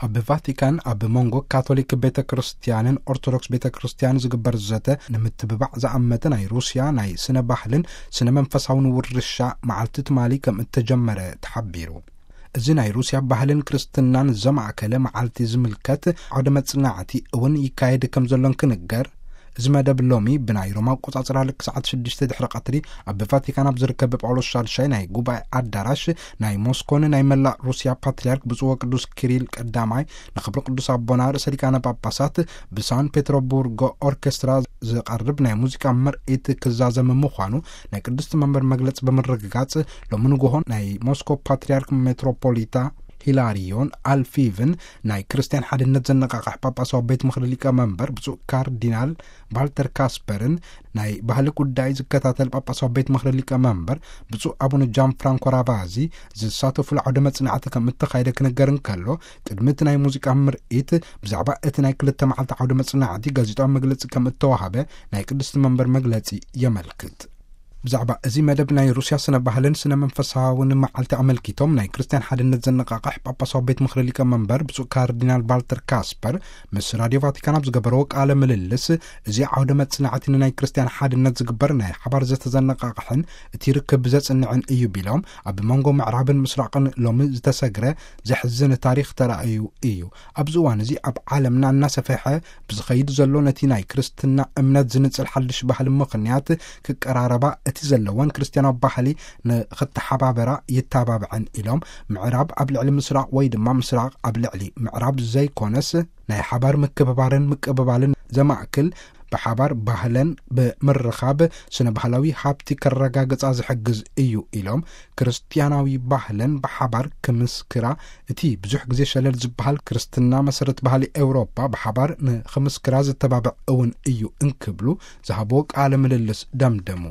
ኣብ ቫቲካን ኣብ መንጎ ካቶሊክ ቤተ ክርስቲያንን ኦርቶዶክስ ቤተ ክርስቲያን ዝግበር ዘተ ንምትብባዕ ዝኣመተ ናይ ሩስያ ናይ ስነ ባህልን ስነ መንፈሳውን ውርሻ መዓልቲ ትማሊ ከም እተጀመረ ተሓቢሩ። እዚ ናይ ሩስያ ባህልን ክርስትናን ዘማእከለ መዓልቲ ዝምልከት ዓውደ መጽናዕቲ እውን ይካየድ ከም ዘሎን ክንገር፣ እዚ መደብ ሎሚ ብናይ ሮማ ኣቆጻጽራ ልክ ሰዓት ሽዱሽተ ድሕሪ ቀትሪ ኣብ ቫቲካን ኣብ ዝርከብ ጳውሎስ ሻልሻይ ናይ ጉባኤ ኣዳራሽ ናይ ሞስኮን ናይ መላእ ሩስያ ፓትርያርክ ብፁዕ ወቅዱስ ኪሪል ቀዳማይ ንክብሪ ቅዱስ ኣቦና ርእሰ ሊቃነ ጳጳሳት ብሳን ፔትሮቡርጎ ኦርኬስትራ ዝቐርብ ናይ ሙዚቃ ምርኢት ክዛዘም ምዃኑ ናይ ቅድስቲ መንበር መግለጺ ብምርግጋጽ፣ ሎሚ ንግሆ ናይ ሞስኮ ፓትርያርክ ሜትሮፖሊታ ሂላሪዮን ኣልፊቭን ናይ ክርስትያን ሓድነት ዘነቃቕሕ ጳጳሳዊ ቤት ምኽሪ ሊቀ መንበር ብፁዕ ካርዲናል ቫልተር ካስፐርን ናይ ባህሊ ጉዳይ ዝከታተል ጳጳሳዊ ቤት ምኽሪ ሊቀ መንበር ብፁዕ ኣቡነ ጃን ፍራንኮ ራቫዚ ዝሳተፉሉ ዓውደ መጽናዕቲ ከም እተኻየደ ክንገር እንከሎ፣ ቅድሚ እቲ ናይ ሙዚቃ ምርኢት ብዛዕባ እቲ ናይ ክልተ መዓልቲ ዓውደ መጽናዕቲ ጋዜጣዊ መግለጺ ከም እተዋሃበ ናይ ቅድስቲ መንበር መግለጺ የመልክት። ብዛዕባ እዚ መደብ ናይ ሩስያ ስነ ባህልን ስነ መንፈሳውን መዓልቲ ኣመልኪቶም ናይ ክርስትያን ሓድነት ዘነቃቕሕ ጳጳሳዊ ቤት ምኽሪ ሊቀ መንበር ብፁዕ ካርዲናል ቫልተር ካስፐር ምስ ራድዮ ቫቲካን ኣብ ዝገበረዎ ቃለ ምልልስ፣ እዚ ዓውደ መጽናዕቲ ንናይ ክርስትያን ሓድነት ዝግበር ናይ ሓባር ዘተ ዘነቃቕሕን እቲ ርክብ ዘጽንዕን እዩ ቢሎም፣ ኣብ መንጎ ምዕራብን ምስራቕን ሎሚ ዝተሰግረ ዘሕዝን ታሪኽ ተራእዩ እዩ። ኣብዚ እዋን እዚ ኣብ ዓለምና እናሰፈሐ ብዝኸይድ ዘሎ ነቲ ናይ ክርስትና እምነት ዝንጽል ሓድሽ ባህሊ ምኽንያት ክቀራረባ፣ እቲ ዘለወን ክርስትያናዊ ባህሊ ንኽተሓባበራ ይተባብዐን ኢሎም፣ ምዕራብ ኣብ ልዕሊ ምስራቕ ወይ ድማ ምስራቕ ኣብ ልዕሊ ምዕራብ ዘይኮነስ ናይ ሓባር ምክብባርን ምቅብባልን ዘማእክል ብሓባር ባህለን ብምርኻብ ስነ ባህላዊ ሃብቲ ከረጋግጻ ዝሕግዝ እዩ ኢሎም፣ ክርስትያናዊ ባህለን ብሓባር ክምስክራ እቲ ብዙሕ ግዜ ሸለል ዝበሃል ክርስትና መሰረት ባህሊ ኤውሮጳ ብሓባር ንኽምስክራ ዝተባብዕ እውን እዩ እንክብሉ ዝሃብዎ ቃለ ምልልስ ደምደሙ።